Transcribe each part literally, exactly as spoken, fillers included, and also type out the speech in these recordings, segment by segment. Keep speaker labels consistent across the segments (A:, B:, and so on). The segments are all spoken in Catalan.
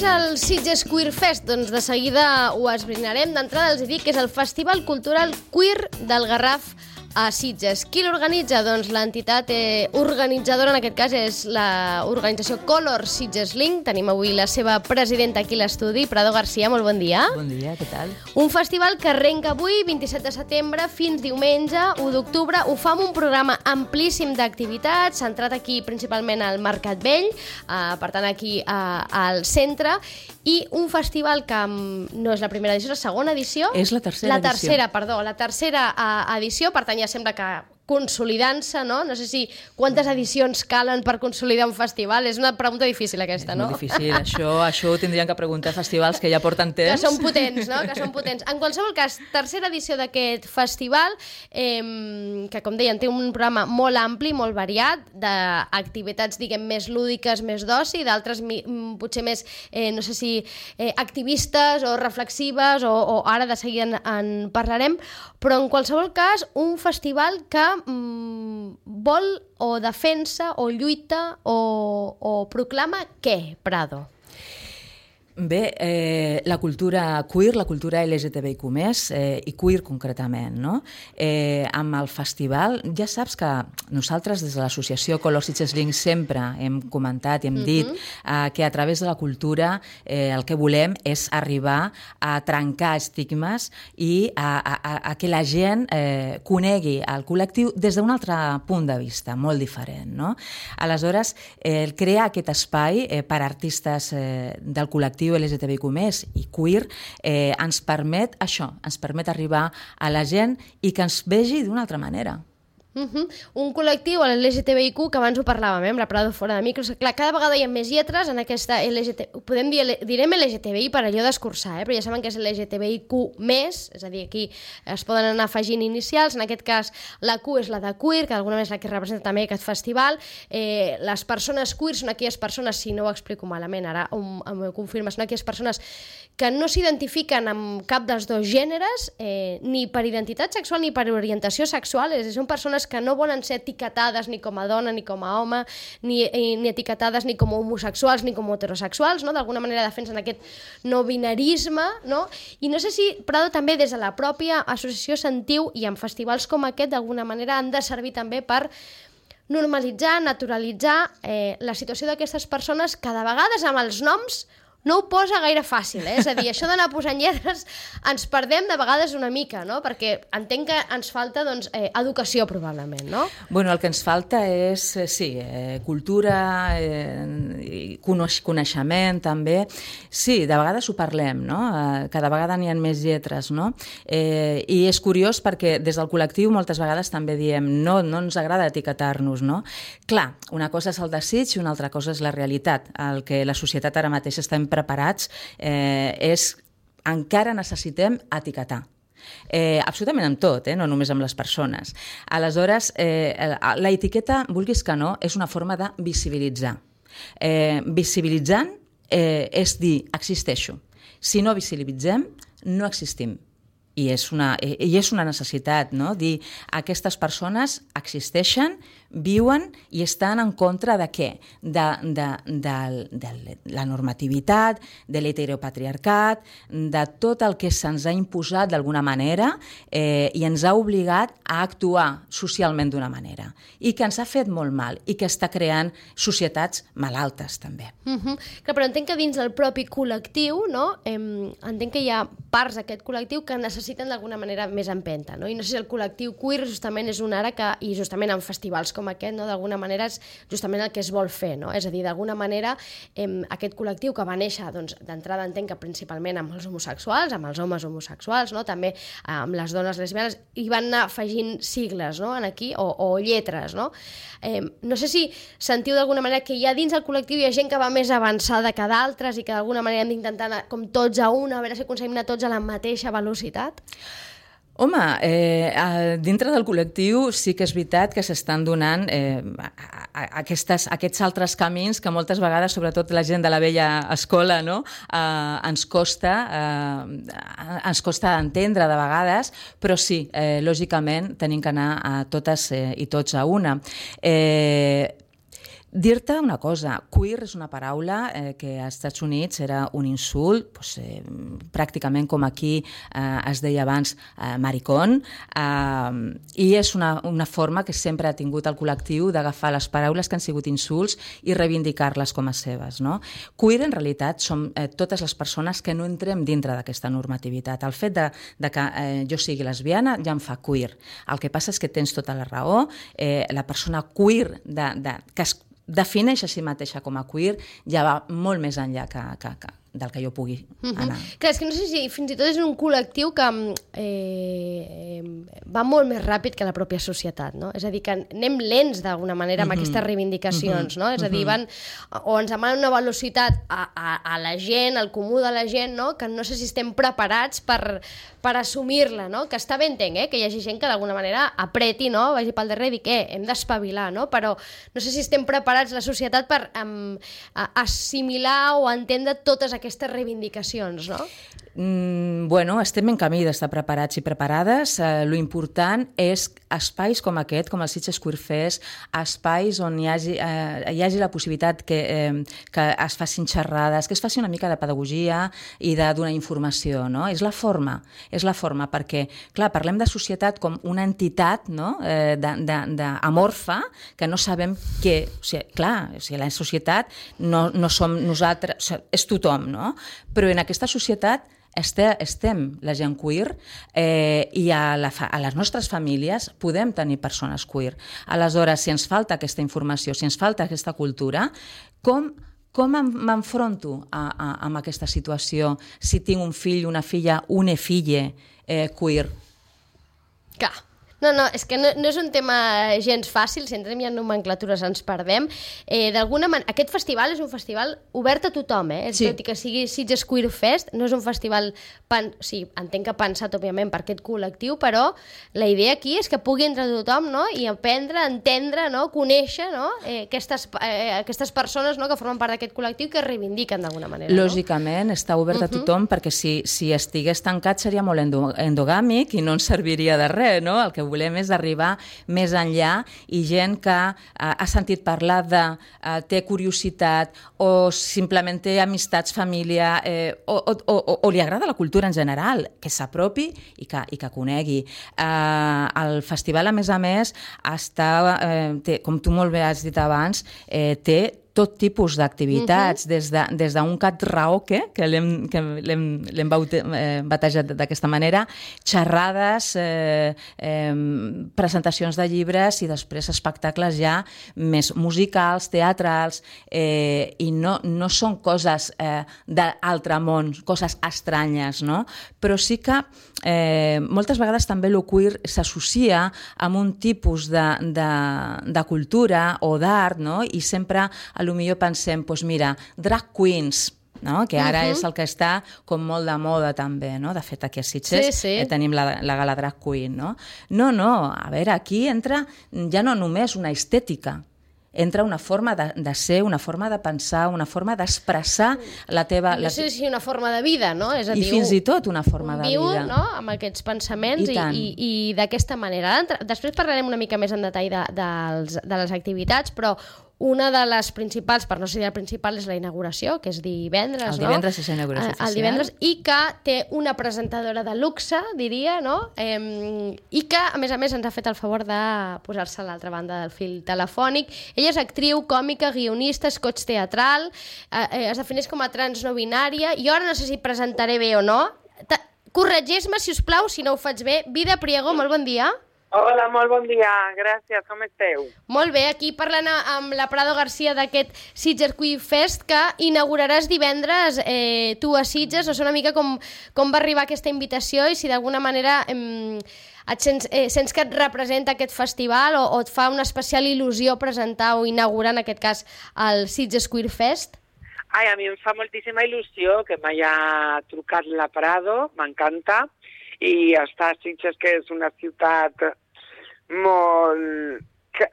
A: és el Sitges Queer Fest? Doncs de seguida ho esbrinarem. D'entrada els dic que és el Festival Cultural Queer del Garraf a Sitges. Qui l'organitza? Doncs l'entitat eh, organitzadora, en aquest cas, és l'organització Color Sitges Link. Tenim avui la seva presidenta aquí a l'estudi, Prado García, molt bon dia.
B: Bon dia, què tal?
A: Un festival que arrenca avui, vint-i-set de setembre, fins diumenge, u d'octubre. Ho fa amb un programa amplíssim d'activitats, centrat aquí principalment al Mercat Vell, eh, per tant aquí eh, al centre, i un festival que no és la primera edició, és la segona edició.
B: És la tercera
A: la
B: edició.
A: La tercera, perdó, la tercera eh, edició, per tant ja sembla que consolidant-se, no? No sé si quantes edicions calen per consolidar un festival. És una pregunta difícil aquesta, no?
B: És molt difícil. Això, això ho tindrien que preguntar a festivals que ja porten temps.
A: Que són potents, no? Que són potents. En qualsevol cas, tercera edició d'aquest festival, eh, que com deien, té un programa molt ampli, molt variat, d'activitats, diguem, més lúdiques, més d'oci, d'altres potser més, eh, no sé si, eh, activistes o reflexives, o, o ara de seguida en, en parlarem, però en qualsevol cas, un festival que vol o defensa o lluita o, o proclama què, Prado?
B: Bé, eh, la cultura queer, la cultura L G T B I Q més, eh, i queer concretament, no? Eh, amb el festival, ja saps que nosaltres des de l'associació Color Sitges Link sempre hem comentat i hem dit uh-huh. eh, que a través de la cultura eh, el que volem és arribar a trencar estigmes i a, a, a que la gent eh, conegui el col·lectiu des d'un altre punt de vista, molt diferent, no? Aleshores, eh, crear aquest espai eh, per a artistes eh, del col·lectiu L G T B I Q més i queer eh, ens permet això, ens permet arribar a la gent i que ens vegi d'una altra manera.
A: Uh-huh. Un col·lectiu, l'L G T B I Q, que abans ho parlàvem, eh, amb la Prado fora de micros. Clar, cada vegada hi ha més lletres en aquesta L G T B I. Podem dir, direm L G T B I per allò d'escurçar, eh? Però ja saben que és L G T B I Q més, és a dir, aquí es poden anar afegint inicials. En aquest cas, la Q és la de queer, que d'alguna manera és la que representa també aquest festival. Eh, les persones queer són aquelles persones, si no ho explico malament, ara m'ho confirma, són aquelles persones que no s'identifiquen amb cap dels dos gèneres, eh, ni per identitat sexual ni per orientació sexual. És, són persones que no volen ser etiquetades ni com a dona ni com a home, ni, ni etiquetades ni com a homosexuals ni com a heterosexuals, no? D'alguna manera defensen aquest no binarisme, no? I no sé si, Prado, també des de la pròpia associació sentiu, i en festivals com aquest d'alguna manera han de servir també per normalitzar, naturalitzar eh, la situació d'aquestes persones que de vegades amb els noms no ho posa gaire fàcil, eh? És a dir, això d'anar posant lletres ens perdem de vegades una mica, no? Perquè entenc que ens falta, doncs, eh, educació, probablement, no?
B: Bueno, el que ens falta és, eh, sí, eh, cultura, eh, coneix, coneixement, també. Sí, de vegades ho parlem, no? Eh, cada vegada n'hi ha més lletres, no? Eh, I és curiós perquè des del col·lectiu moltes vegades també diem no, no ens agrada etiquetar-nos, no? Clar, una cosa és el desig i una altra cosa és la realitat. El que la societat ara mateix està preparats eh, és encara necessitem etiquetar. Eh, absolutament amb tot, eh? No només amb les persones. Aleshores, eh, la etiqueta, vulguis que no, és una forma de visibilitzar. Eh, visibilitzant eh, és dir, existeixo. Si no visibilitzem, no existim. I és una, i és una necessitat, no? Dir, aquestes persones existeixen, viuen i estan en contra de què? De, de, de, de la normativitat, de l'heteropatriarcat, de tot el que se'ns ha imposat d'alguna manera eh, i ens ha obligat a actuar socialment d'una manera i que ens ha fet molt mal i que està creant societats malaltes també.
A: Uh-huh. Clar, però entenc que dins del propi col·lectiu, no? eh, entenc que hi ha parts d'aquest col·lectiu que necessiten d'alguna manera més empenta, no? I no sé si el col·lectiu queer justament és un ara que, i justament en festivals com aquest, no? D'alguna manera és justament el que es vol fer, no? És a dir, d'alguna manera eh, aquest col·lectiu que va néixer, doncs, d'entrada entenc que principalment amb els homosexuals, amb els homes homosexuals, no? També eh, amb les dones lesbianes, i van anar afegint sigles, no? En aquí, o, o lletres, no? Eh, no sé si sentiu d'alguna manera que ja dins del col·lectiu hi ha gent que va més avançada que d'altres i que d'alguna manera hem d'intentar anar com tots a una, a veure si aconseguim anar tots a la mateixa velocitat?
B: Home, eh, dintre del col·lectiu sí que és veritat que s'estan donant eh, aquestes, aquests altres camins que moltes vegades, sobretot la gent de la vella escola, no? eh, ens costa eh, ens costa entendre de vegades, però sí, eh, lògicament tenim que anar a totes eh, i tots a una. Eh, Dir-te una cosa, queer és una paraula eh, que als Estats Units era un insult, doncs, eh, pràcticament com aquí eh, es deia abans eh, maricón, eh, i és una, una forma que sempre ha tingut el col·lectiu d'agafar les paraules que han sigut insults i reivindicar-les com a seves. No? Queer, en realitat, som eh, totes les persones que no entrem dintre d'aquesta normativitat. El fet de, de que eh, jo sigui lesbiana ja em fa queer. El que passa és que tens tota la raó, eh, la persona queer de, de, que es defineix a si mateixa com a queer ja va molt més enllà que, que, que del que jo pugui anar.
A: Uh-huh. Clar, és que no sé si fins i tot és un col·lectiu que eh, va molt més ràpid que la pròpia societat, no? És a dir, que anem lents d'alguna manera amb uh-huh. aquestes reivindicacions, uh-huh. no? És a dir, van, o ens demanen una velocitat a, a, a la gent, al comú de la gent, no? Que no sé si estem preparats per, per assumir-la, no? Que està bé, entenc, eh? Que hi hagi gent que d'alguna manera apreti, no? Vagi pel darrere i digui, eh, hem d'espavilar, no? Però no sé si estem preparats la societat per um, assimilar o entendre totes aquestes reivindicacions, no?
B: Mm, bueno, estem en camí d'estar preparats i preparades. Eh, lo important és espais com aquest, com el Sitges Queer Fest, espais on hi hagi, eh, hi hagi la possibilitat que, eh, que es facin xerrades, que es faci una mica de pedagogia i de donar informació, no? És la forma, és la forma, perquè, clar, parlem de societat com una entitat, no? eh, de, de, de amorfa, que no sabem què... O sigui, clar, o sigui, la societat no, no som nosaltres, o sigui, és tothom, no? Però en aquesta societat estem la gent queer eh, i a, la fa, a les nostres famílies podem tenir persones queer. Aleshores, si ens falta aquesta informació, si ens falta aquesta cultura, com, com m'enfronto a, a, amb aquesta situació si tinc un fill, una filla, una filla eh, queer?
A: Clar. No, no, és que no, no és un tema gens fàcil, si entrem ja en nomenclatures ens perdem. Eh, D'alguna manera, aquest festival és un festival obert a tothom, eh? Sí. Tot i que sigui Sitges Queer Fest, no és un festival, pen... sí, entenc que pensat, òbviament, per aquest col·lectiu, però la idea aquí és que pugui entrar tothom, no? I aprendre, entendre, no? Conèixer, no? Eh, aquestes, eh, aquestes persones, no? Que formen part d'aquest col·lectiu i que reivindiquen d'alguna manera.
B: Lògicament, no? Està obert a tothom, uh-huh. perquè si, si estigués tancat seria molt endogàmic i no ens serviria de res, no? El que volem és arribar més enllà i gent que uh, ha sentit parlar de, uh, té curiositat o simplement té amistats, família, eh, o, o, o, o li agrada la cultura en general, que s'apropi i que, i que conegui. Uh, el festival, a més a més, està, eh, té, com tu molt bé has dit abans, eh, té tot tipus d'activitats, uh-huh. des de, des d'un karaoke, que l'hem, que l'hem, l'hem batejat d'aquesta manera, xerrades, eh, eh, presentacions de llibres i després espectacles ja més musicals, teatrals, eh, i no, no són coses eh, d'altre món, coses estranyes, no? Però sí que eh, moltes vegades també el queer s'associa amb un tipus de, de, de cultura o d'art, no? I sempre a lo millor pensem, doncs mira, drag queens, no? Que ara uh-huh. és el que està com molt de moda també, no? De fet, aquí a Sitges sí, sí. Eh, tenim la, la gala drag queen, no? No, no, a veure, aquí entra ja no només una estètica, entra una forma de, de ser, una forma de pensar, una forma d'expressar la teva...
A: No sé si una forma de vida, no? És a
B: I
A: dir,
B: fins i tot una forma de
A: viu,
B: vida.
A: No? Amb aquests pensaments i, i, i, i d'aquesta manera. Després parlarem una mica més en detall de, de, de les activitats, però una de les principals, per no ser la principal, és la inauguració, que és divendres,
B: el divendres no? És la inauguració oficial.
A: El divendres, i que té una presentadora de luxe, diria, no? Eh, I que, a més a més, ens ha fet el favor de posar-se a l'altra banda del fil telefònic. Ella és actriu, còmica, guionista, coach teatral, eh, es defineix com a trans no binària, i ara no sé si presentaré bé o no. Corregeix-me, si us plau, si no ho faig bé. Vida Priego, molt bon dia.
C: Hola, molt bon dia, gràcies, com esteu?
A: Molt bé, aquí parlant amb la Prado García d'aquest Sitges Queer Fest que inauguraràs divendres eh, tu a Sitges. No sé una mica com, com va arribar aquesta invitació i si d'alguna manera eh, et sents, eh, sents que et representa aquest festival o, o et fa una especial il·lusió presentar o inaugurar en aquest cas el Sitges Queer Fest.
C: Ai, a mi em fa moltíssima il·lusió que m'haya trucat la Prado, m'encanta, i està a Sitges, que és una ciutat molt... que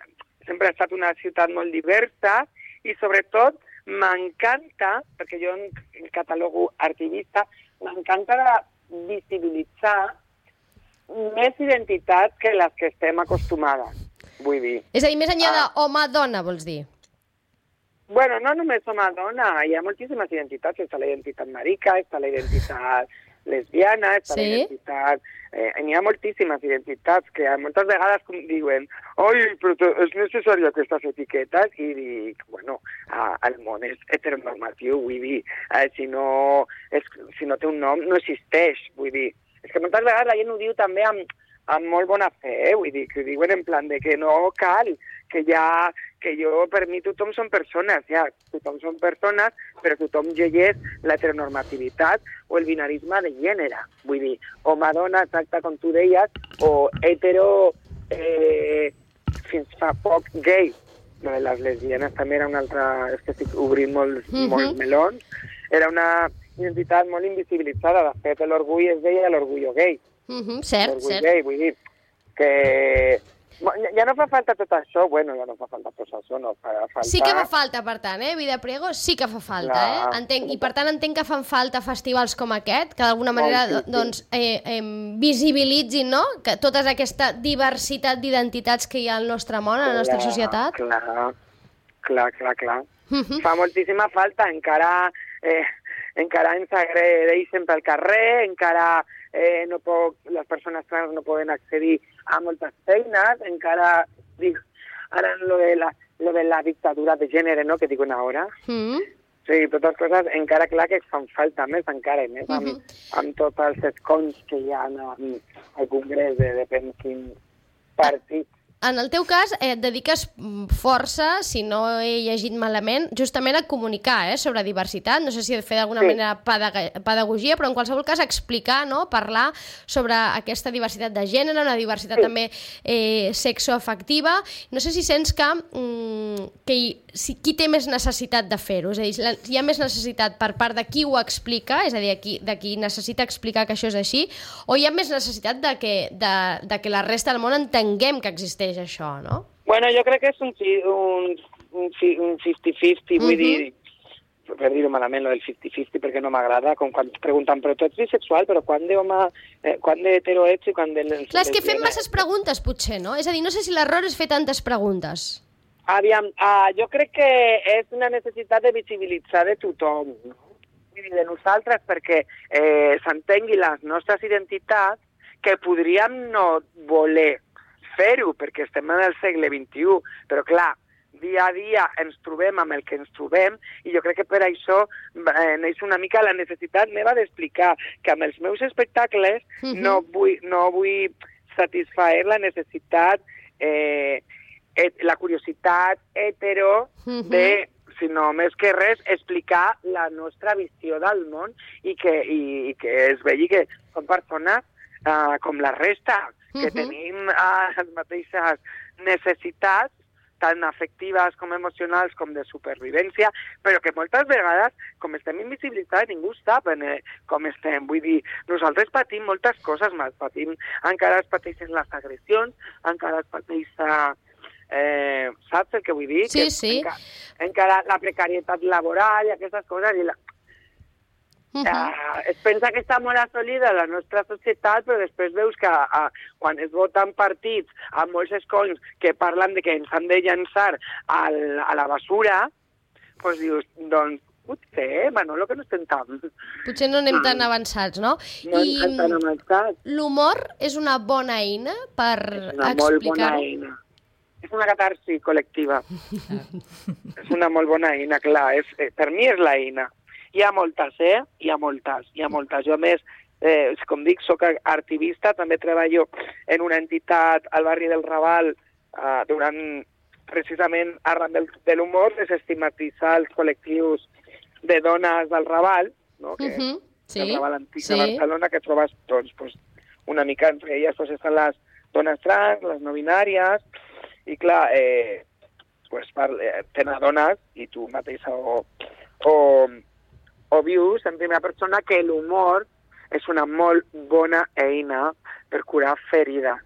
C: sempre ha estat una ciutat molt diversa i sobretot m'encanta, perquè jo em catalogo activista, m'encanta de visibilitzar més identitats que les que estem acostumades, vull dir.
A: És a dir, més enllà ah. d'home-dona, vols dir?
C: Bueno, no només som a dona, hi ha moltíssimes identitats. Està la identitat marica, està la identitat lesbiana, està sí? la identitat... Eh, n'hi ha moltíssimes identitats que moltes vegades com diuen oi, però és necessari aquestes etiquetes, i dic, bueno, eh, el món és heteronormatiu, vull dir, eh, si, no, és, si no té un nom no existeix, vull dir. És que moltes vegades la gent ho diu també amb, amb molt bona fe, eh? Vull dir, que ho diuen en plan de que no cal, que ja, que jo, per mi tothom són persones, ja, tothom són persones, però tothom llegeix l'heteronormativitat o el binarisme de gènere, vull dir, home-dona, exacte com tu deies, o hetero, eh, fins fa poc, gay. No, les lesbianes també era una altra, és que estic obrint molts, mm-hmm. molts melons, era una identitat molt invisibilitzada, de fet l'orgull es deia l'orgullo gay.
A: Mm-hmm, cert,
C: l'orgull
A: cert.
C: gay, vull dir, que... Ja no fa falta tot això, bueno, ja no fa falta tot això, no fa falta...
A: Sí que fa falta, per tant, eh? Vida Priego sí que fa falta, la... eh? Entenc, i per tant entenc que fan falta festivals com aquest, que d'alguna manera oh, sí, sí. doncs, eh, eh, visibilitzin, no?, que tota aquesta diversitat d'identitats que hi ha al nostre món, a la nostra societat.
C: Clar, clar, clar, clar. Uh-huh. Fa moltíssima falta, encara, eh, encara ens agredeixen pel carrer, encara eh, no puc, les persones trans no poden accedir a moltes feines, encara, dic, ara lo de la, lo de la dictadura de gènere, no?, que diuen ara. Mm. Sí, totes coses, encara clar que fan falta més, encara més, amb, mm-hmm. amb tots els escons que hi ha al Congrés de depèn quin partit.
A: En el teu cas, eh, et dediques força, si no he llegit malament, justament a comunicar eh, sobre diversitat. No sé si he de fer d'alguna sí. manera pedag- pedagogia, però en qualsevol cas explicar, no? Parlar sobre aquesta diversitat de gènere, una diversitat sí. també eh, sexoafectiva. No sé si sents que, mm, que hi, si, qui té més necessitat de fer-ho? És a dir, hi ha més necessitat per part de qui ho explica, és a dir, qui, de qui necessita explicar que això és així, o hi ha més necessitat de que, de, de que la resta del món entenguem que existeix això, no?
C: Bueno, jo crec que és un, un, un, un cinquanta-cinquanta, vull uh-huh. dir, per dir-ho malament, lo del cinquanta-cinquanta, perquè no m'agrada, com quan ens pregunten, però tu ets bisexual, però quan d'home, eh, quan d'hetero ets i quan de...
A: Clar, és que fem masses preguntes, potser, no? És a dir, no sé si l'error és fer tantes preguntes.
C: Aviam, uh, jo crec que és una necessitat de visibilitzar de tothom, no? I de nosaltres, perquè eh, s'entengui les nostres identitats que podríem no voler fer-ho, perquè estem en el segle vint-i-u, però clar, dia a dia ens trobem amb el que ens trobem, i jo crec que per això eh, neix una mica la necessitat meva d'explicar que amb els meus espectacles uh-huh. no, vull, no vull satisfer la necessitat, eh, et, la curiositat hetero uh-huh. de, sinó més que res, explicar la nostra visió del món i que, i, i que es vegi que som persones uh, com la resta, que uh-huh. tenim uh, les mateixes necessitats, tant afectives com emocionals com de supervivència, però que moltes vegades, com estem invisibilitzats, ningú sap eh, com estem. Vull dir, nosaltres patim moltes coses més. Patim, encara es pateixen les agressions, encara es pateix... Eh, saps el que vull dir?
A: Sí,
C: que
A: sí.
C: Encara, encara la precarietat laboral i aquestes coses... I la... Uh-huh. Uh, es pensa que està molt assolida la nostra societat, però després veus que uh, quan es voten partits amb molts escons que parlen de que ens han de llançar al, a la basura, doncs dius, doncs potser, Manolo, que no estem tan...
A: Potser no anem tan avançats, no?
C: No I anem tan avançats.
A: L'humor és una bona eina per explicar-ho? És una molt bona eina.
C: És una catarsi col·lectiva. És una molt bona eina, clar. És, eh, per mi és l'eina. Hi ha moltes, eh? Hi ha moltes, hi ha moltes. Jo, a més, eh, com dic, soc activista, també treballo en una entitat al barri del Raval eh, durant, precisament, arran del, de l'humor, desestigmatitzar els col·lectius de dones del Raval, no? Que uh-huh. sí. El Raval antic sí. de Barcelona, que trobes, doncs, pues, una mica entre elles pues, estan les dones trans, les no binàries, i clar, eh, pues, parle, tenen dones, i tu mateixa o... o o vius en primera persona que l'humor és una molt bona eina per curar ferides.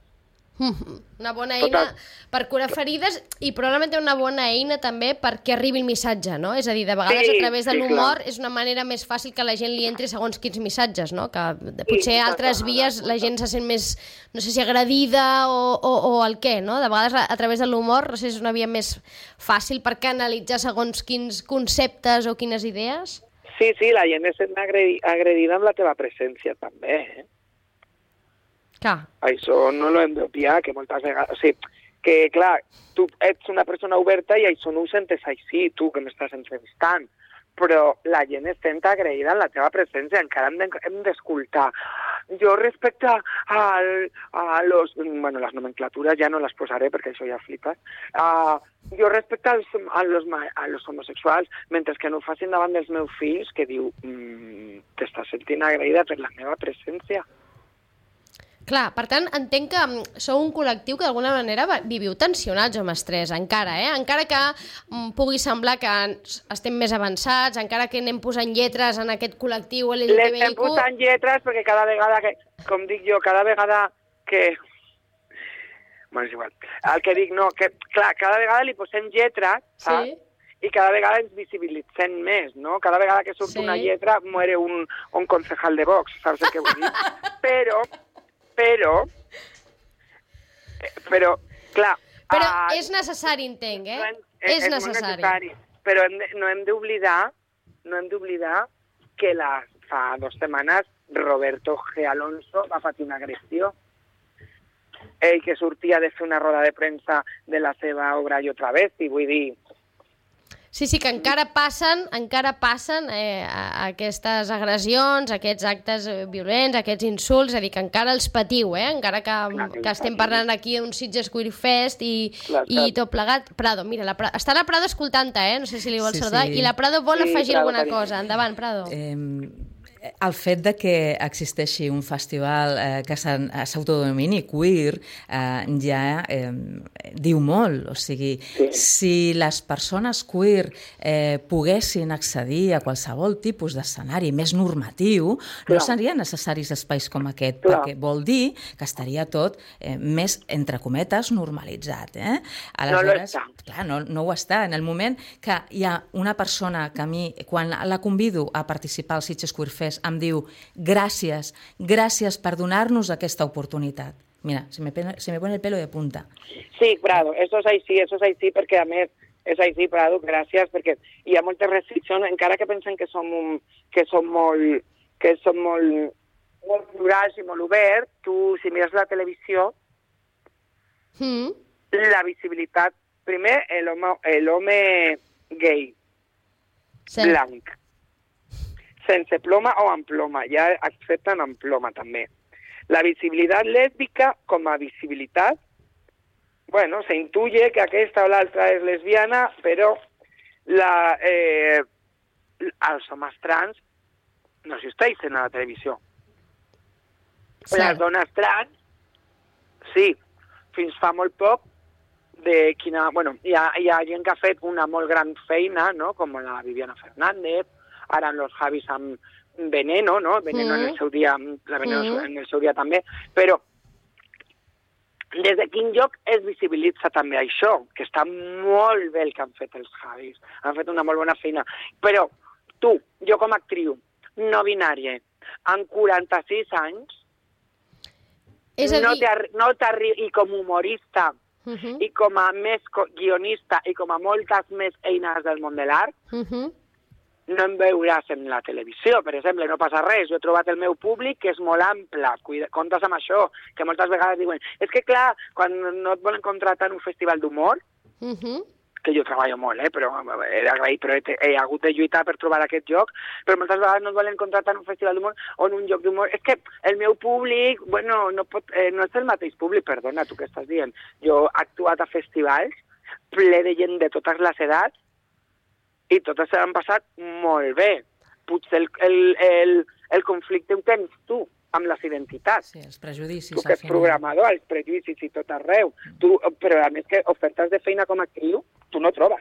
A: Una bona eina
C: Total.
A: per curar ferides i probablement una bona eina també perquè arribi el missatge, no? És a dir, de vegades
C: Sí,
A: a través de
C: sí,
A: l'humor
C: clar.
A: és una manera més fàcil que la gent li entri segons quins missatges, no? Que potser
C: Sí,
A: a altres
C: total,
A: vies la
C: total.
A: gent se sent més, no sé si agredida o, o, o el què, no? De vegades a, a través de l'humor, no sé si és una via més fàcil per canalitzar segons quins conceptes o quines idees.
C: Sí, sí, la gent es sent agredi agredida amb la teva presència també, eh?
A: Clar.
C: Això no lo hem d'obviar, que moltes vegades... O sigui, que, clar, tu ets una persona oberta i això no ho sentes així, tu, que m'estàs entrevistant, però la gent es sent agraïda en la teva presència, encara hem d'escoltar. Jo respecte al, a los... Bueno, les nomenclatures ja no les posaré perquè això ja flipes. Uh, jo respecte als, a, los, a los homosexuals, mentre que no ho facin davant dels meus fills, que diu, mm, t'estàs sentint agraïda per la meva presència.
A: Clar, per tant, entenc que mm, sou un col·lectiu que d'alguna manera va- viviu tensionats o amb estrès, encara, eh? Encara que mm, pugui semblar que ens- estem més avançats, encara que anem posant lletres en aquest col·lectiu L G T B I
C: L'estem
A: Q...
C: posant lletres perquè cada vegada que, com dic jo, cada vegada que... Bueno, és igual. El que dic, no, que, clar, cada vegada li posem lletres, saps?
A: Sí.
C: I cada vegada ens visibilitzem més, no? Cada vegada que surt
A: Sí.
C: una lletra muere un, un concejal de Vox, saps el que vull dir? Però, però, eh, però, clar...
A: Però
C: ah,
A: és necessari, entenc, eh?
C: no hem-
A: és,
C: molt
A: necessari.
C: Però hem de, no hem d'oblidar, no hem d'oblidar que la, fa dues setmanes Roberto G. Alonso va patir una agressió. Ell que sortia de fer una roda de premsa de la seva obra i otra vez, i vull dir...
A: Sí, sí, que encara passen, encara passen eh, a- aquestes agressions, aquests actes eh, violents, aquests insults, és a dir, que encara els patiu, eh? Encara que,
C: Clar que els
A: que estem
C: patiu.
A: parlant aquí d'un Sitges Queer Fest i,
C: Clar,
A: i
C: clar.
A: tot plegat. Prado, mira, la Prado, està la Prado escoltant-te, eh? No sé si li vol
B: Sí,
A: saludar.
B: sí.
A: I la Prado vol
C: Sí,
A: afegir
C: Prado,
A: alguna
C: carinyo.
A: cosa. Endavant, Prado.
B: Eh, el fet de que existeixi un festival eh, que s'en- s'autodomini queer eh, ja eh, diu molt. O sigui,
C: Sí.
B: si les persones queer eh, poguessin accedir a qualsevol tipus d'escenari més normatiu,
C: Clar.
B: no serien necessaris espais com aquest,
C: Clar.
B: perquè vol dir que estaria tot eh, més, entre cometes, normalitzat. Eh?
C: No lo està.
B: Clar, no, no ho està. En el moment que hi ha una persona que a mi, quan la convido a participar al Sitges Queer Fest, em diu gràcies, gràcies per donar-nos aquesta oportunitat. Mira, se me, pone, se me pone el pelo de punta.
C: Sí, Prado, eso és així, eso és així, perquè a més és així, Prado, gràcies, perquè hi ha moltes restriccions, encara que pensen que som, un, que som molt, que som molt, molt plurals i molt oberts, tu, si mires la televisió,
A: Mm.
C: la visibilitat, primer, l'home gay,
A: Sí.
C: blanc, sense ploma o amb ploma, ja accepten amb ploma també. La visibilitat lèsbica com a visibilitat, bueno, se intuye que aquesta o l'altra és lesbiana, però la, eh, els homes trans no existeixen a la televisió.
A: Cert.
C: Les dones trans, sí, fins fa molt poc, de quina, bueno, hi ha, hi ha gent que ha fet una molt gran feina, no?, com la Viviana Fernández, ara en los Javis amb Veneno, no?, Veneno
A: Mm.
C: en el seu dia, la Veneno
A: Mm.
C: en el seu dia també, però des de quin lloc es visibilitza també això, que està molt bé el que han fet els Javis, han fet una molt bona feina, però tu, jo com a actriu, no binària, amb quaranta-sis anys,
A: És a
C: no
A: dir...
C: t'arri- no t'arri- i com a humorista,
A: Uh -huh.
C: i com a més co- guionista i com a moltes més eines del món de l'art,
A: Uh -huh.
C: no em veuràs en la televisió, per exemple, no passa res. Jo he trobat el meu públic que és molt ample, cuida, comptes amb això, que moltes vegades diuen, és que clar, quan no et volen contratar en un festival d'humor,
A: Uh -huh.
C: que jo treballo molt, eh, però he d'agrair, però he, he hagut de lluitar per trobar aquest lloc, però moltes vegades no et volen contratar en un festival d'humor o en un lloc d'humor. És que el meu públic, bueno, no, pot, eh, no és el mateix públic, perdona, tu què estàs dient. Jo he actuat a festivals ple de gent de totes les edats i totes se l'han passat molt bé. Potser el, el, el, el conflicte ho tens tu amb les identitats.
B: Sí, els prejudicis.
C: Tu que
B: al
C: ets
B: final.
C: programador, els prejudicis i tot arreu. Tu, però a més que ofertes de feina com a actriu, tu no trobes.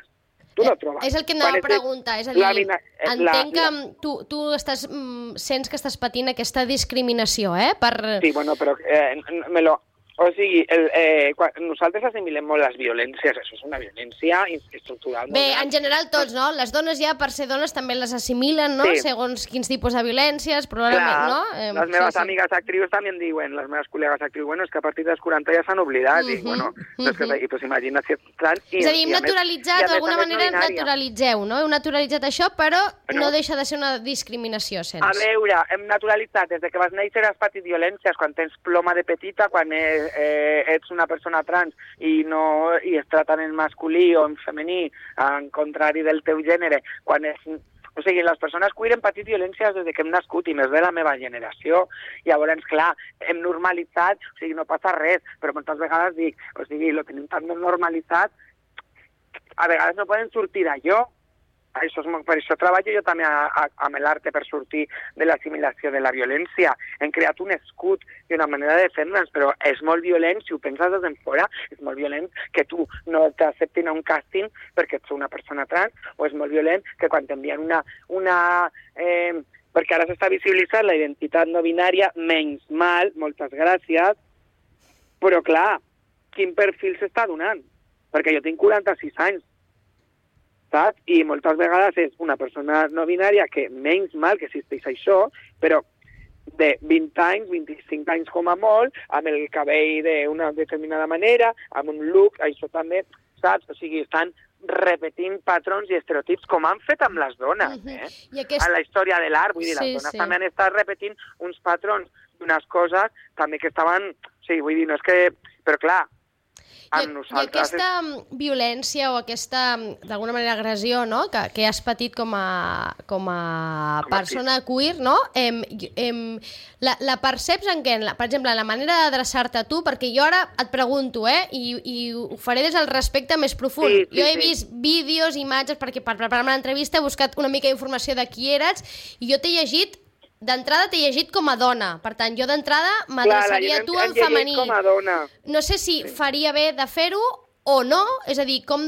C: Tu no trobes.
A: Eh, És el que
C: Quan
A: anava a
C: és de-
A: preguntar, és a dir,
C: la vina- eh,
A: entenc
C: la-
A: que
C: la-
A: mm, tu, tu estàs, mm, sents que estàs patint aquesta discriminació, eh? Per...
C: Sí, bueno, però eh, me lo... O sigui, el, eh, quan, nosaltres assimilem molt les violències, això és una violència estructural.
A: Bé, en general tots, no? Les dones ja, per ser dones, també les assimilen, no? Sí. Segons quins tipus de violències, probablement,
C: Clar,
A: no? Eh,
C: les meves
A: sí, sí.
C: amigues actrius també em diuen, les meves col·legues actrius, bueno, és que a partir dels quaranta ja s'han oblidat, uh-huh, i bueno, uh-huh. és que, i, pues, imagina't si ets trans... I,
A: és a dir, hem
C: i
A: naturalitzat, d'alguna manera naturalitzeu, no? Heu naturalitzat això, però, però no deixa de ser una discriminació, sens.
C: A veure, hem naturalitzat, des de que vas néixer has patit violències, quan tens ploma de petita, quan eh, eh, ets una persona trans i no i es traten en masculí o en femení, en contrari del teu gènere, quan és... O sigui, les persones queer hem patit violències des que hem nascut i més de la meva generació. Llavors, clar, hem normalitzat, o sigui, no passa res, però moltes vegades dic, o sigui, lo tenim tan normalitzat, a vegades no poden sortir d'allò. Això és, per això treballo jo també a, a, amb l'arte per sortir de l'assimilació de la violència. Hem creat un escut i una manera de defendre'ns, però és molt violent, si ho penses des d'enfora, és molt violent que tu no t'acceptin a un càsting perquè ets una persona trans, o és molt violent que quan t'envien una... una eh, perquè ara s'està visibilitzant la identitat no binària, menys mal, moltes gràcies, però clar, quin perfil s'està donant? Perquè jo tinc quaranta-sis anys, saps? I moltes vegades és una persona no binària que menys mal que existeix això, però de vint anys, vint-i-cinc anys com a molt, amb el cabell d'una determinada manera, amb un look, això també, saps? O sigui, estan repetint patrons i estereotips com han fet amb les dones, eh? Uh-huh. I aquest... A la història de l'art, vull dir, sí, les dones sí. també han estat repetint uns patrons d'unes coses també que estaven... O sigui, vull dir, no és que... Però clar,
A: I, I aquesta violència o aquesta, d'alguna manera, agressió, no?, que, que has patit com a, com a persona queer, no? Em, em, la, la perceps en què? La, per exemple, la manera d'adreçar-te a tu, perquè jo ara et pregunto, eh, i, i ho faré des del respecte més profund. Sí, sí, jo he vist sí. vídeos, imatges, perquè per preparar-me l'entrevista he buscat una mica d'informació de qui eres, i jo t'he llegit d'entrada t'he llegit com a dona, per tant, jo d'entrada m'adreçaria a tu en femení.
C: Com a dona.
A: No sé si sí. faria bé de fer-ho o no, és a dir, com,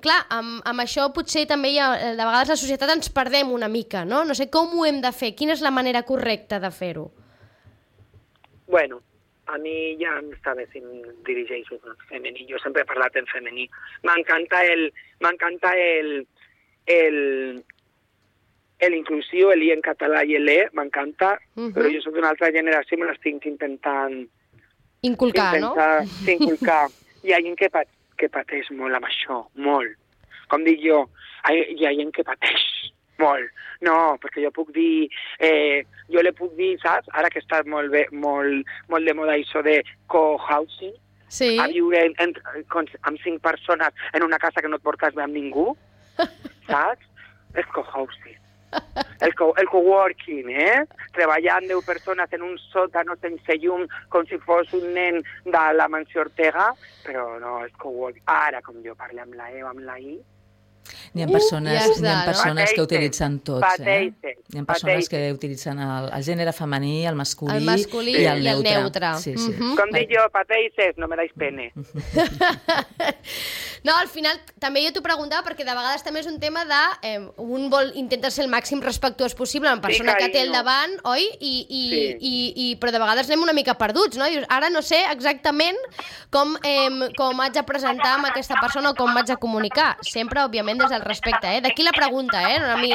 A: clar, amb, amb això potser també hi ha, de vegades la societat ens perdem una mica, no? No sé com ho hem de fer, quina és la manera correcta de fer-ho?
C: Bueno, a mi ja m'està bé si em dirigeixo en femení, jo sempre he parlat en femení. M'encanta el... M'encanta el... el l'inclusiu, el i en català i el e, m'encanta, uh-huh. però jo soc d'una altra generació i me l'estic intentant...
A: Inculcar,
C: intentar,
A: no?
C: Sí, inculcar. Hi ha gent que, pat, que pateix molt amb això, molt. Com dic jo, hi ha gent que pateix molt. No, perquè jo puc dir... Eh, jo le puc dir, saps? Ara que està molt, bé, molt, molt de moda això de co-housing,
A: sí.
C: a viure en, en, amb cinc persones en una casa que no et portes bé amb ningú, saps? És co-housing. El, co el coworking, eh? Treballant deu persones en un sòtano sense llum com si fos un nen de la mansió Ortega, però no, és coworking. Ara, com jo parlo amb la E o amb la I...
B: N'hi ha persones, uh, ja està, ha persones no? que utilitzen tots,
C: pateixen,
B: eh? Hi ha persones pateixen. que utilitzen el, el gènere femení, el masculí,
A: el masculí
B: i el
A: i
B: neutre.
A: El neutre.
B: Sí, sí.
A: Uh-huh.
C: Com dic jo, pateixes, no me dais pene.
A: No, al final també jo t'ho preguntava perquè de vegades també és un tema de... Eh, un vol intenta ser el màxim respectuós possible amb la persona sí, que té al davant, oi? I, i, sí. i, i, però de vegades anem una mica perduts, no? Dius, ara no sé exactament com, eh, com haig de presentar amb aquesta persona o com m'haig de comunicar. Sempre, òbviament, des del respecte, eh? D'aquí la pregunta, eh? No, a mi...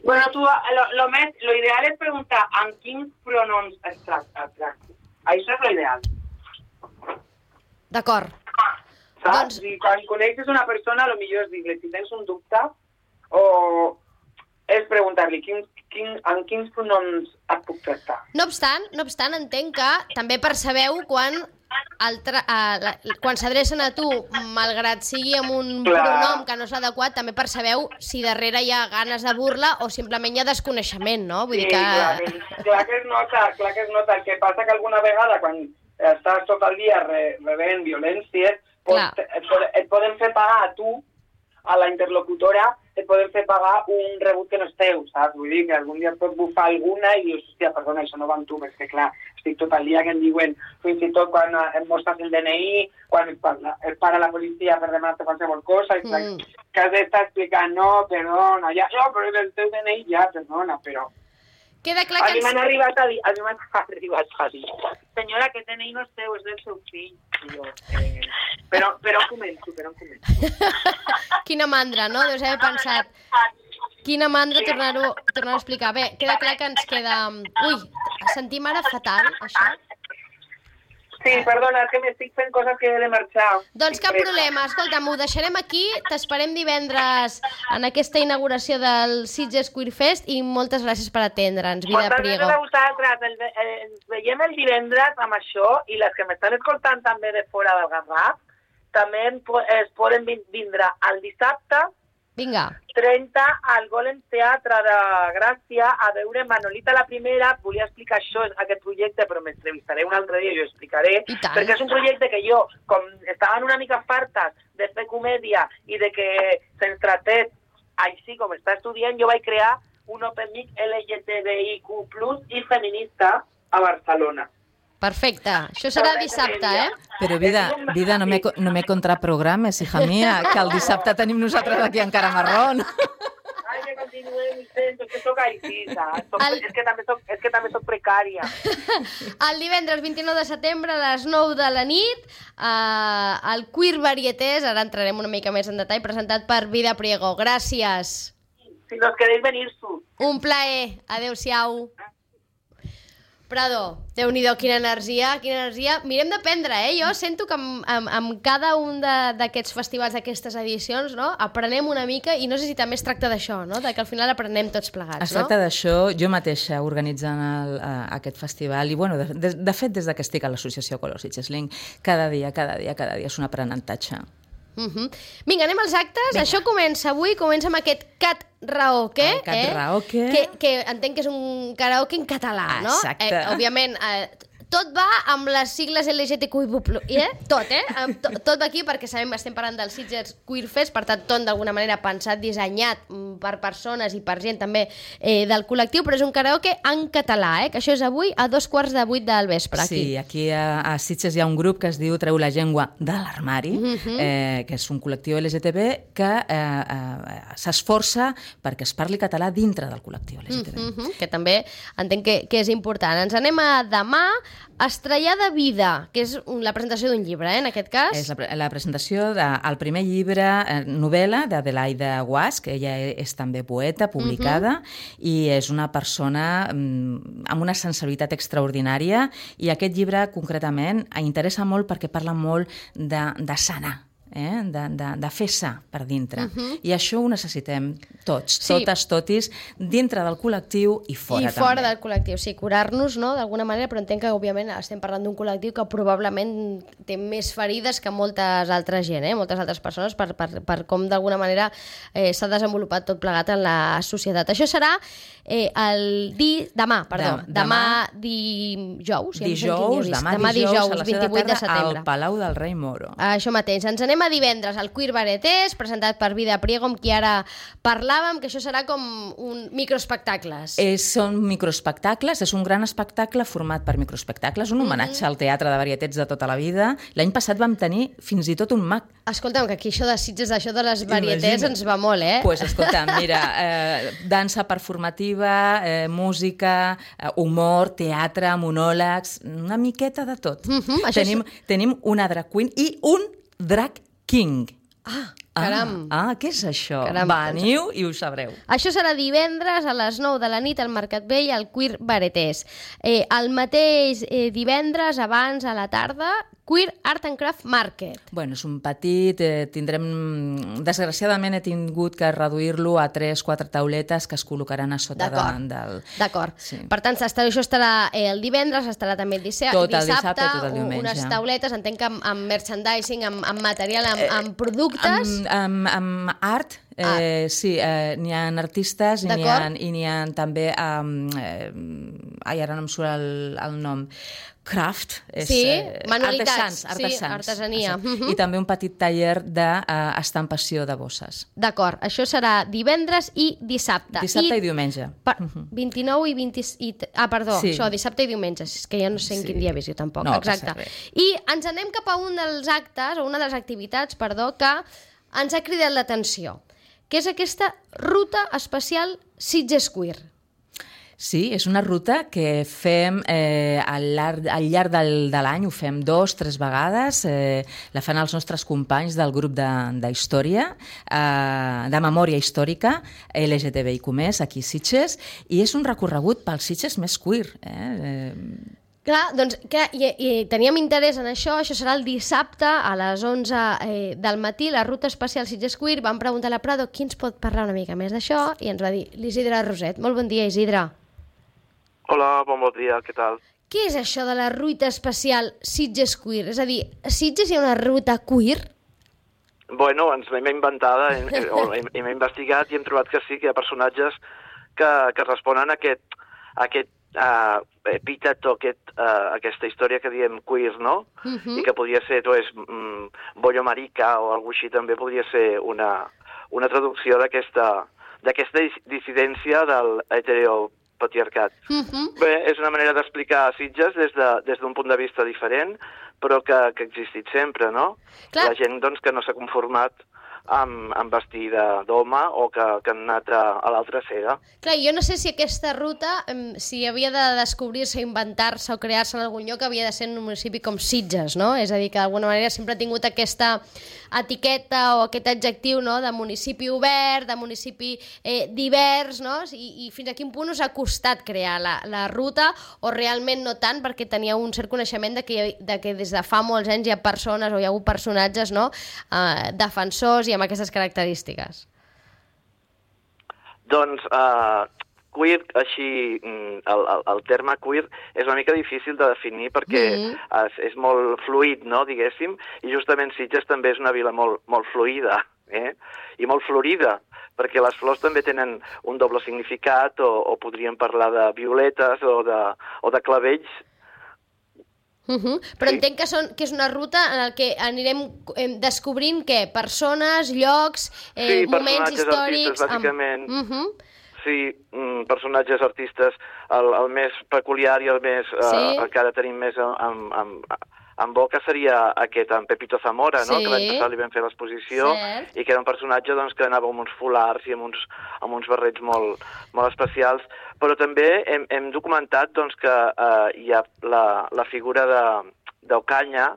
C: Bueno, tu, lo, lo, més, lo ideal és preguntar amb quins pronoms es tracta. Això és lo ideal.
A: D'acord.
C: Saps? Doncs... I quan coneixes una persona, lo millor és dir-li si tens un dubte o és preguntar-li quin, quin, amb quins pronoms et puc tractar.
A: No obstant, no obstant, entenc que també percebeu quan... El tra uh, la, quan s'adrecen a tu, malgrat sigui amb un clar. pronom que no és adequat, també percebeu si darrere hi ha ganes de burla o simplement hi ha desconeixement, no? Vull
C: sí,
A: dir que...
C: clar, que... clar que es nota, clar que es nota. El que passa que alguna vegada, quan estàs tot el dia re rebent violències, pot, et, et poden fer pagar a tu, a la interlocutora, et poden fer pagar un rebut que no és teu, saps? Vull dir que algun dia et pot bufar alguna i dius, hòstia, perdona, això no va amb tu, perquè clar, estic tot el dia que em diuen, fins i tot quan em mostres el D N I, quan et, parla, et para la policia per demanar-te qualsevol cosa, i mm. que has d'estar explicant, no, perdona, ja, no, però el teu D N I ja, perdona, però...
A: Queda clar que...
C: A mi m'han arribat a dir, a mi m'han arribat a dir, senyora, aquest D N I no és teu, és del seu fill. jo. Eh, però, però començo, però començo.
A: Quina mandra, no? Deus haver pensat... Quina mandra tornar-ho tornar a explicar. Bé, queda clar que ens queda... Ui, sentim ara fatal, això.
C: Sí, perdona, és que m'estic fent coses que he de marxar.
A: Doncs cap problema. Escolta'm, ho deixarem aquí. T'esperem divendres en aquesta inauguració del Sitges Queer Fest i moltes gràcies per atendre'ns, Vida
C: Moltes
A: Priego.
C: gràcies a vosaltres. El, el, ens veiem el divendres amb això i les que m'estan escoltant també de fora del Garraf també es poden vindre el dissabte
A: Vinga.
C: trenta al Golem Teatre de Gràcia a veure Manolita la Primera. Volia explicar això, aquest projecte, però m'entrevistaré un altre dia i ho explicaré, perquè és un projecte que jo, com estaven una mica fartes de fer comèdia i de que se'ns tratés així com està estudiant, jo vaig crear un Open Mic L G T B I Q plus i feminista a Barcelona.
A: Perfecte. Això serà dissabte, eh?
B: Però, Vida, vida no, me, no me contraprogrames, hija mía, que el dissabte tenim nosaltres aquí encara marrón.
C: Ai, que continuem, sento, que soc així, saps? El... És, que també soc, és que també soc precària.
A: El divendres vint-i-nou de setembre a les nou de la nit, eh, el Queer Varietés, ara entrarem una mica més en detall, presentat per Vida Priego. Gràcies.
C: Si nos queréis venir-su.
A: Un plaer. Adéu-siau. Prado, Déu-n'hi-do, quina energia, quina energia. Mirem d'aprendre, eh? Jo sento que amb, amb, amb cada un d'aquests festivals, d'aquestes edicions, no? Aprenem una mica, i no sé si també es tracta d'això, no? De que al final aprenem tots plegats,
B: es tracta
A: no?
B: d'això, jo mateixa organitzant el, uh, aquest festival, i bueno, de, de, de fet, des que estic a l'associació Color Sitges Link, cada dia, cada dia, cada dia és un aprenentatge.
A: Uh -huh. Vinga, anem als actes. Vinga. Això comença avui, comença amb aquest cat raoke,
B: el cat
A: eh?
B: raoke.
A: Que, que entenc que és un karaoke en català, no?
B: Exacte.
A: Eh, òbviament, eh, tot va amb les sigles L G T Q I plus, eh? Tot, eh? Tot, tot va aquí perquè sabem que estem parlant del Sitges Queer Fest, per tant, tot d'alguna manera pensat, dissenyat per persones i per gent també eh, del col·lectiu, però és un karaoke en català, eh? Que això és avui a dos quarts de vuit del vespre, aquí.
B: Sí, aquí a, a Sitges hi ha un grup que es diu Treu la llengua de l'armari, uh -huh. eh, que és un col·lectiu L G T B que eh, eh, s'esforça perquè es parli català dintre del col·lectiu L G T B.
A: Uh -huh. Que també entenc que, que és important. Ens anem a demà. Estrellar de vida, que és la presentació d'un llibre, eh, en aquest cas.
B: És la, la presentació del primer llibre, eh, novel·la d'Adelaida Guasch, que ella és també poeta, publicada, uh-huh. i és una persona mm, amb una sensibilitat extraordinària, i aquest llibre, concretament, interessa molt perquè parla molt de, de sanar, eh? de, de, de fer sa per dintre. Uh-huh. I això ho necessitem tots, sí. totes, totis, dintre del col·lectiu i fora,
A: I
B: també.
A: I fora del col·lectiu, sí, curar-nos, no?, d'alguna manera, però entenc que, òbviament, estem parlant d'un col·lectiu que probablement té més ferides que moltes altres gent, eh? moltes altres persones, per, per, per com, d'alguna manera, eh, s'ha desenvolupat tot plegat en la societat. Això serà eh, el di... demà, perdó,
B: de,
A: demà, demà dijous,
B: dijous,
A: ja
B: demà,
A: demà
B: dijous,
A: dijous,
B: a les set
A: vint-i-vuit de
B: tarda,
A: setembre.
B: al Palau del Rei Moro.
A: Això mateix. Ens anem a divendres, al Queer Varietés, presentat per Vida Priego, amb qui ara parlàvem, que això serà com un microespectacles.
B: Eh, són microespectacles, és un gran espectacle format per microespectacles, un homenatge mm-hmm. al teatre de varietets de tota la vida. L'any passat vam tenir fins i tot un mag.
A: Escolta'm, que aquí això de Sitges, això de les varietets Imagina. Ens va molt, eh?
B: Doncs pues, escolta'm, mira, eh, dansa performativa, eh, música, eh, humor, teatre, monòlegs, una miqueta de tot.
A: Mm-hmm,
B: tenim, és... tenim una drag queen i un drag king.
A: Ah, caram.
B: Ah, ah, què és això?
A: Caram,
B: Veniu i ho sabreu.
A: Això serà divendres a les nou de la nit al Mercat Vell, al Queer Varietés. Eh, el mateix eh, divendres, abans, a la tarda, Queer Art and Craft Market.
B: Bueno, és un petit, eh, tindrem... Desgraciadament he tingut que reduir-lo a tres, quatre tauletes que es col·locaran a sota de, del...
A: D'acord.
B: Sí.
A: Per tant, això estarà eh, el divendres, estarà també el dissabte,
B: tot el dissabte, tot el diumenge.
A: Unes tauletes, entenc que amb, amb merchandising, amb, amb material, amb, amb productes...
B: Amb, amb, amb art, eh, ah. sí, eh, n'hi ha artistes i n'hi ha, i n'hi ha també... Um, eh, ai, ara no em surt el, el nom... Craft, és,
A: sí,
B: eh,
A: manualitats,
B: artesans, artesans,
A: sí, artesania.
B: Uh-huh. I també un petit taller d'estampació de, uh, de bosses.
A: D'acord, això serà divendres i dissabte.
B: Dissabte i, i diumenge.
A: Per, uh-huh. vint-i-nou i vint... I, ah, perdó,
B: sí.
A: això, dissabte i diumenge, és que ja no sé en sí. quin dia he vist jo tampoc.
B: No,
A: exacte. I ens anem cap a un dels actes, o una de les activitats, perdó, que ens ha cridat l'atenció, que és aquesta ruta especial Sitges Queer.
B: Sí, és una ruta que fem eh, al llarg, al llarg del, de l'any, ho fem dos, tres vegades, eh, la fan els nostres companys del grup de, de història, eh, de memòria històrica, L G T B I Q més, aquí a Sitges, i és un recorregut pels Sitges més queer. Eh? Eh,
A: Clar, doncs, clar, i, i teníem interès en això, això serà el dissabte a les onze eh, del matí, la ruta especial Sitges Queer. Vam preguntar a la Prado qui ens pot parlar una mica més d'això i ens va dir l'Isidre Roset. Molt bon dia, Isidre.
D: Hola, bon bon dia, què tal?
A: Què és això de la ruta especial Sitges Queer? És a dir, a Sitges hi ha una ruta queer?
D: Bueno, ens l'hem inventada, hem, hem, hem investigat i hem trobat que sí, que hi ha personatges que, que responen a aquest, a aquest uh, epítet o aquest, uh, aquesta història que diem queer, no? Uh-huh. I que podria ser, tu és, mm, bollo marica o alguna així, també podria ser una, una traducció d'aquesta d'aquesta dissidència del heteropatriarcat. Uh-huh. Bé, és una manera d'explicar Sitges des de, des d'un punt de vista diferent, però que, que ha existit sempre, no? Clar. La gent, doncs, que no s'ha conformat amb, amb vestir d'home o que, que han anat a, a l'altra cega.
A: Clar, jo no sé si aquesta ruta, si havia de descobrir-se, inventar-se o crear-se en algun lloc, havia de ser en un municipi com Sitges, no? És a dir, que d'alguna manera sempre ha tingut aquesta etiqueta o aquest adjectiu, no?, de municipi obert, de municipi eh, divers, no? I, I fins a quin punt us ha costat crear la, la ruta, o realment no tant, perquè teníeu un cert coneixement de que, de que des de fa molts anys hi ha persones o hi ha hagut personatges, no?, eh, defensors i amb aquestes característiques.
D: Doncs uh, queer, així, el, el, el terme queer és una mica difícil de definir perquè mm. és, és molt fluid, no?, diguéssim, i justament Sitges també és una vila molt, molt fluida, eh? I molt florida, perquè les flors també tenen un doble significat, o, o podríem parlar de violetes o de, o de clavells.
A: Uh-huh. Però sí. Entenc que, són, que és una ruta en la que anirem eh, descobrint què? Persones, llocs, eh,
D: sí,
A: moments històrics...
D: Artistes, bàsicament.
A: Amb... Uh-huh.
D: Sí, mm, personatges artistes, el, el més peculiar i el més sí. eh, que ara tenim més en, en, en boca seria aquest, en Pepito Zamora, sí. no? Que l'any passat li vam fer l'exposició i que era un personatge, doncs, que anava amb uns folars i amb uns, amb uns barrets molt, molt especials. Però també hem, hem documentat, doncs, que eh, hi ha la, la figura d'Ocaña,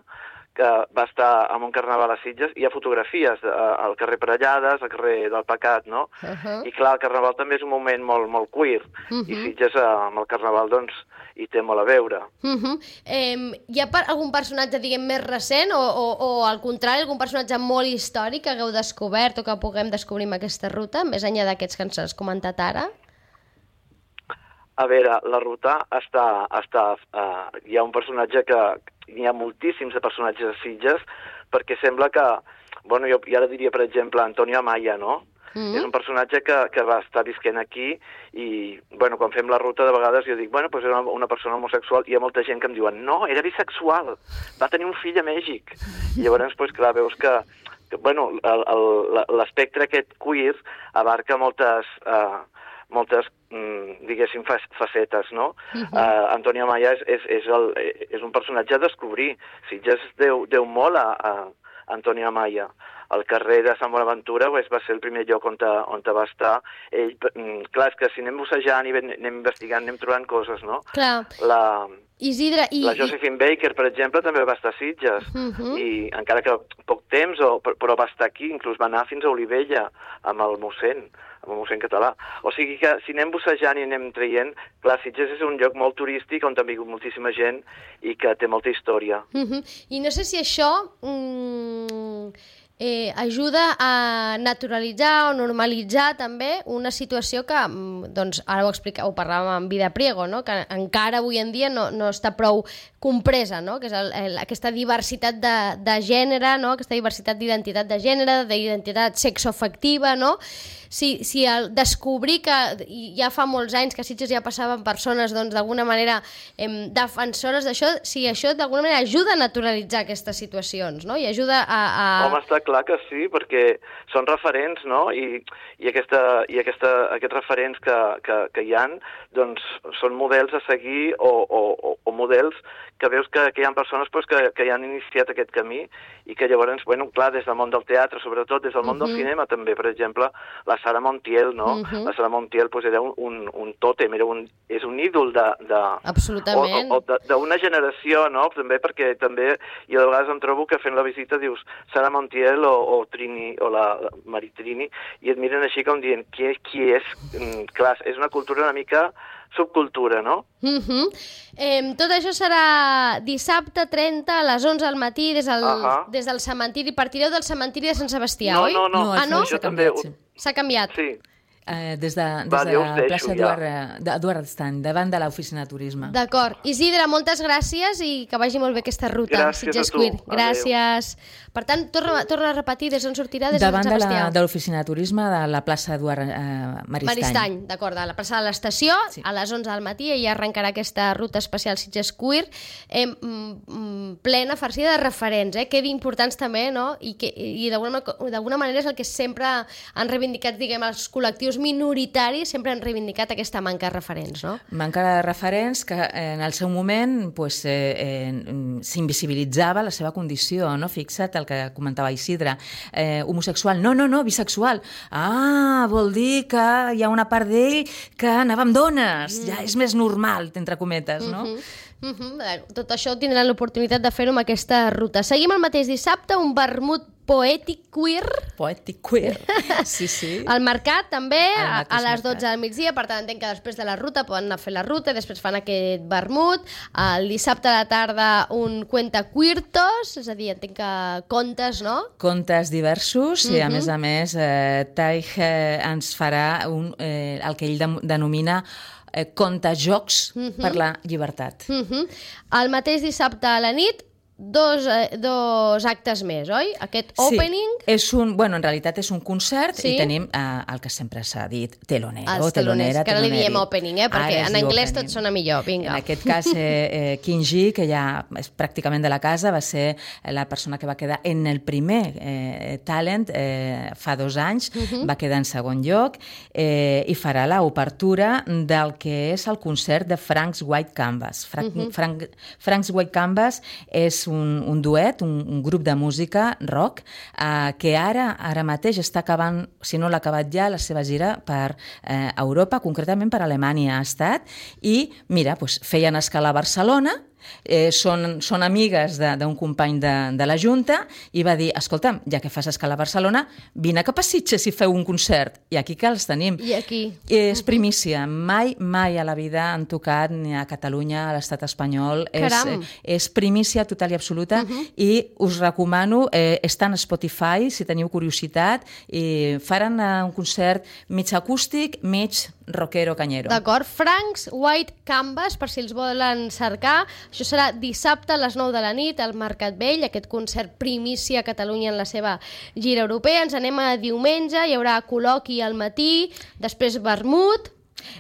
D: que va estar en un carnaval a Sitges, hi ha fotografies eh, al carrer Parellades, al carrer del Pecat, no? Uh-huh. I clar, el carnaval també és un moment molt, molt queer, uh-huh. i Sitges eh, amb el carnaval, doncs, hi té molt a veure. Uh-huh.
A: eh, hi ha algun personatge, diguem, més recent, o, o, o al contrari, algun personatge molt històric que hagueu descobert o que puguem descobrir amb aquesta ruta, més enllà d'aquests que ens has comentat ara?
D: A veure, la ruta està... està uh, hi ha un personatge que... Hi ha moltíssims de personatges a Sitges, perquè sembla que... Bueno, jo, jo ara diria, per exemple, Antonio Amaya, no? Mm. És un personatge que, que va estar visquent aquí i, bueno, quan fem la ruta, de vegades jo dic, bueno, doncs era una, una persona homosexual, i hi ha molta gent que em diuen, no, era bisexual, va tenir un fill a Mèxic. I llavors, doncs, clar, veus que, que bueno, l'espectre aquest queer abarca moltes... Uh, moltes, mm, diguéssim, facetes, no? Uh-huh. uh, Antonio Amaya és, és, és, el, és un personatge a descobrir. Sitges deu, deu molt a, a Antonio Amaya. El carrer de Sant Bonaventura pues, va ser el primer lloc on, te, on te va estar. Ell, mm, clar, és que si anem bussejant i anem investigant, anem trobant coses, no?
A: Clar.
D: La...
A: Isidre, i...
D: La Josephine Baker, per exemple, també va estar a Sitges, uh-huh. i encara que poc temps, o, però va estar aquí, inclús va anar fins a Olivella, amb el mossèn, amb el mossèn català. O sigui que si anem bussejant i anem traient, clar, Sitges és un lloc molt turístic on ha vingut moltíssima gent i que té molta història.
A: Uh-huh. I no sé si això... Mm... Eh, ajuda a naturalitzar o normalitzar també una situació que, doncs, ara ho explica, ho parlàvem amb Vida Priego, no?, que encara avui en dia no, no està prou compresa, no?, que és el, el, aquesta diversitat de, de gènere, no?, aquesta diversitat d'identitat de gènere, d'identitat sexoafectiva, no?, si, si el descobrir que ja fa molts anys que a Sitges ja passaven persones, doncs, d'alguna manera eh, defensores d'això, si això d'alguna manera ajuda a naturalitzar aquestes situacions, no?, i ajuda a... a...
D: Home, està clar. clar que sí, perquè són referents, no? I, i, aquesta, i aquesta, aquests referents que, que, que hi han, doncs, són models a seguir o, o, o models que veus que, que hi ha persones pues, que, que ja han iniciat aquest camí i que llavors, bueno, clar, des del món del teatre, sobretot des del món uh -huh. del cinema també, per exemple, la Sara Montiel, no? Uh -huh. La Sara Montiel pues, era un, un, un tòtem, era un, és un ídol de... de
A: Absolutament.
D: O, o d'una generació, no? També perquè també, i a vegades em trobo que fent la visita dius Sara Montiel o, o Trini, o la, la Maritrini, i et miren així com dient, qui, qui és? Mm, clar, és una cultura una mica subcultura, no?
A: Uh -huh. eh, tot això serà dissabte trenta a les onze del matí des del, uh -huh. des del cementiri. Partireu del cementiri de Sant Sebastià,
D: no,
A: oi?
D: No, no, no.
A: Ah, no?
B: S'ha canviat, sí.
A: S'ha canviat?
D: Sí.
B: Eh, des de, des
D: Va,
B: de la
D: deixo,
B: plaça
D: ja.
B: Eduard, Eduard Estany, davant de l'oficina de turisme.
A: D'acord. Isidre, moltes gràcies i que vagi molt bé aquesta ruta.
D: Gràcies
A: Sitges
D: a tu.
A: Queer. Gràcies. Per tant, torna, torna a repetir des d'on sortirà, des
B: davant
A: de Sant Sebastià.
B: Davant de l'oficina de turisme de la plaça Eduard eh, Maristany.
A: Maristany, d'acord, a la plaça de l'estació,
B: Sí.
A: a les onze del matí, i arrencarà aquesta ruta especial Sitges Queer, eh, mm, mm, plena, farcida de referents, eh, que importants també, no? I, que, i d'alguna d'alguna manera és el que sempre han reivindicat, diguem, els col·lectius minoritaris, sempre han reivindicat aquesta manca de referents, no?
B: Manca de referents que en el seu moment pues, eh, eh, s'invisibilitzava la seva condició, no? Fixa't el que comentava Isidre, eh, homosexual, no, no, no, bisexual. Ah, vol dir que hi ha una part d'ell que anava amb dones, mm. ja és més normal, entre cometes, no?
A: Uh-huh. Uh-huh. Tot això tindran l'oportunitat de fer-ho amb aquesta ruta. Seguim el mateix dissabte, un vermut poètic queer.
B: Poètic queer, sí, sí.
A: Al mercat també, a, a les
B: mercat.
A: dotze del migdia, per tant entenc que després de la ruta poden anar a fer la ruta i després fan aquest vermut. El dissabte a la tarda un cuentacuirtos, és a dir, entenc que contes, no?
B: Contes diversos uh-huh. i a
A: Mhm.
B: més a més eh, Taig eh, ens farà un, eh, el que ell de, denomina eh, contajocs uh-huh. per la llibertat.
A: Uh-huh. El mateix dissabte a la nit, dos, eh, dos actes més, oi? Aquest opening...
B: Sí, és un, bueno, en realitat és un concert
A: Sí.
B: i tenim eh, el que sempre s'ha dit, telonero,
A: Els teloners,
B: telonera,
A: que ara li
B: teloneri.
A: diem opening, eh? Perquè
B: Ara es
A: en
B: diu
A: anglès
B: opening.
A: tot sona millor, vinga.
B: En aquest cas, eh, eh, Kinji, que ja és pràcticament de la casa, va ser la persona que va quedar en el primer eh, talent eh, fa dos anys, uh-huh. va quedar en segon lloc eh, i farà l'obertura del que és el concert de Frank's White Canvas. Frank, uh-huh. Frank, Frank's White Canvas és un, un duet, un, un grup de música rock eh, que ara ara mateix està acabant, si no l'ha acabat ja, la seva gira per eh, Europa, concretament per Alemanya ha estat, i mira, doncs, feien escala a Barcelona, eh, són, són amigues d'un company de, de la Junta i va dir, escolta'm, ja que fas escala a Barcelona, vine cap a Sitges i feu un concert. I aquí que els tenim.
A: I aquí.
B: És primícia. Mai, mai a la vida han tocat ni a Catalunya, a l'estat espanyol.
A: Caram.
B: És, és primícia total i absoluta uh-huh. i us recomano, eh, està en Spotify, si teniu curiositat, i faran eh, un concert mig acústic, mig rockero canyero.
A: D'acord. Frank's White Canvas, per si els volen cercar. Això serà dissabte a les nou de la nit al Mercat Vell, aquest concert primícia a Catalunya en la seva gira europea. Ens anem a diumenge, hi haurà col·loqui al matí, després vermut.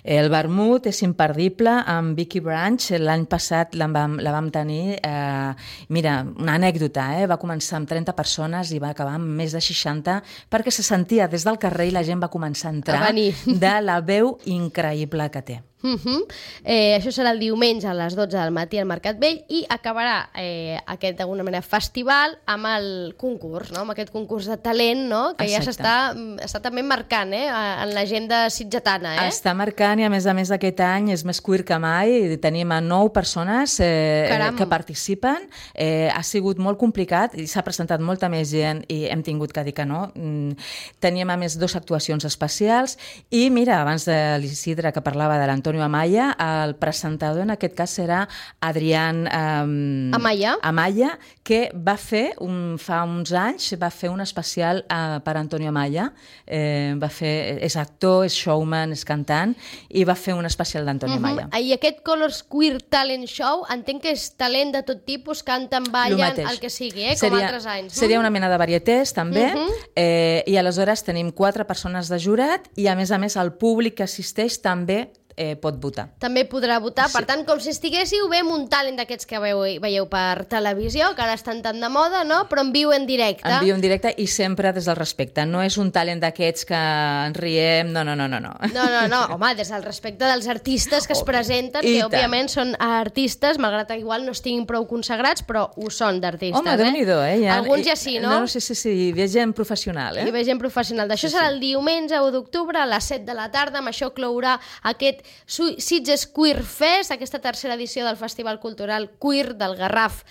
B: El vermut és imperdible amb Vicky Branch. L'any passat la vam, la vam tenir, eh, mira, una anècdota, eh? Va començar amb trenta persones i va acabar amb més de seixanta perquè se sentia des del carrer i la gent va començar a entrar
A: A venir.
B: de la veu increïble que té.
A: Uh -huh. eh, això serà el diumenge a les dotze del matí al Mercat Vell i acabarà eh, aquest, d'alguna manera, festival amb el concurs, no? Amb aquest concurs de talent, no? Que
B: Exacte.
A: ja s'està està també marcant eh? en l'agenda sitgetana. Eh?
B: Està marcant i, a més a més, aquest any és més queer que mai. Tenim a nou persones eh,
A: Caram.
B: que participen. Eh, ha sigut molt complicat i s'ha presentat molta més gent i hem tingut que dir que no. Mm, teníem, a més, dues actuacions especials i, mira, abans de l'Isidre, que parlava de l'Antonio Amaya, el presentador en aquest cas serà Adrián um,
A: Amaya.
B: Amaya, que va fer, un, fa uns anys, va fer un especial uh, per Antonio Amaya. Eh, va fer, és actor, és showman, és cantant, i va fer un especial d'Antonio
A: Uh-huh.
B: Amaya.
A: I aquest Colors Queer Talent Show, entenc que és talent de tot tipus, canten,
B: Lo
A: ballen,
B: mateix.
A: el que sigui, eh? com altres anys.
B: Seria una mena de varietés, també,
A: Mhm.
B: eh, i aleshores tenim quatre persones de jurat i, a més a més, el públic que assisteix també eh, pot votar.
A: També podrà votar,
B: Sí.
A: per tant, com si estiguéssiu bé amb un talent d'aquests que veieu, veieu per televisió, que ara estan tan de moda, no? Però en viu en directe.
B: En viu en directe i sempre des del respecte. No és un talent d'aquests que ens riem, no, no, no, no. No,
A: No, no, no, home, des del respecte dels artistes que es
B: Oh,
A: presenten,
B: i
A: que
B: tant.
A: òbviament són artistes, malgrat que igual no estiguin prou consagrats, però ho són d'artistes.
B: Home, Déu-n'hi-do, eh? Ja,
A: Alguns ja sí, no?
B: No, sí, sí, sí, hi ve gent professional, eh?
A: Hi ve gent professional. D'això
B: Sí,
A: serà
B: sí.
A: el diumenge u d'octubre a les set de la tarda. Amb això clourà aquest Su- Sitges Queer Fest, aquesta tercera edició del Festival Cultural Queer del Garraf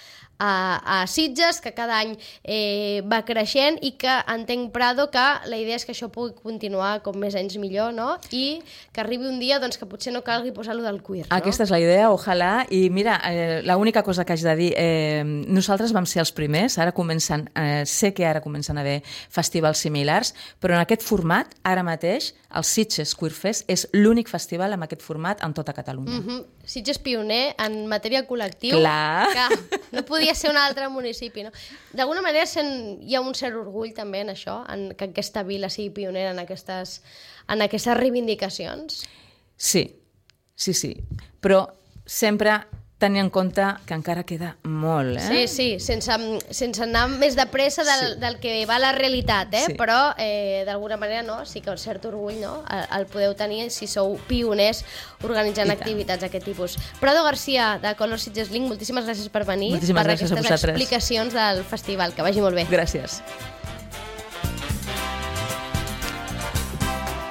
A: a, a Sitges, que cada any eh, va creixent i que entenc, Prado, que la idea és que això pugui continuar com més anys millor, no? I que arribi un dia doncs, que potser no calgui posar-lo del queer, no?
B: Aquesta és la idea, ojalà. I mira, eh, l'única cosa que haig de dir, eh, nosaltres vam ser els primers, ara comencen, eh, sé que ara comencen a haver festivals similars, però en aquest format, ara mateix, el Sitges Queer Fest és l'únic festival amb aquest format en tota Catalunya.
A: Mm -hmm. Sitges pioner en matèria col·lectiu.
B: Clar.
A: Que no podia ser un altre municipi, no? D'alguna manera sent, hi ha un cert orgull també en això, en que aquesta vila sigui pionera en aquestes, en aquestes reivindicacions.
B: Sí, sí, sí. Però sempre tenir en compte que encara queda molt,
A: Sí,
B: eh?
A: sí, sense, sense anar més de pressa del,
B: Sí.
A: del que va la realitat, eh?
B: Sí.
A: Però eh, d'alguna manera no, sí que un cert orgull, no? El, el podeu tenir si sou pioners organitzant
B: I tant.
A: activitats d'aquest tipus. Prado García, de Color Sitges Link, moltíssimes gràcies per venir,
B: Moltíssimes
A: per
B: gràcies a
A: aquestes
B: vosaltres.
A: explicacions del festival. Que vagi molt bé.
B: Gràcies.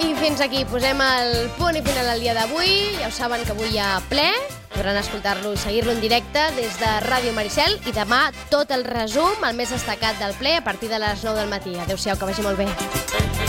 A: I fins aquí posem el punt i final al dia d'avui. Ja ho saben que avui hi ha ple. Podran escoltar-lo i seguir-lo en directe des de Ràdio Maricel i demà tot el resum, el més destacat del ple, a partir de les nou del matí. Adéu-siau, que vagi molt bé.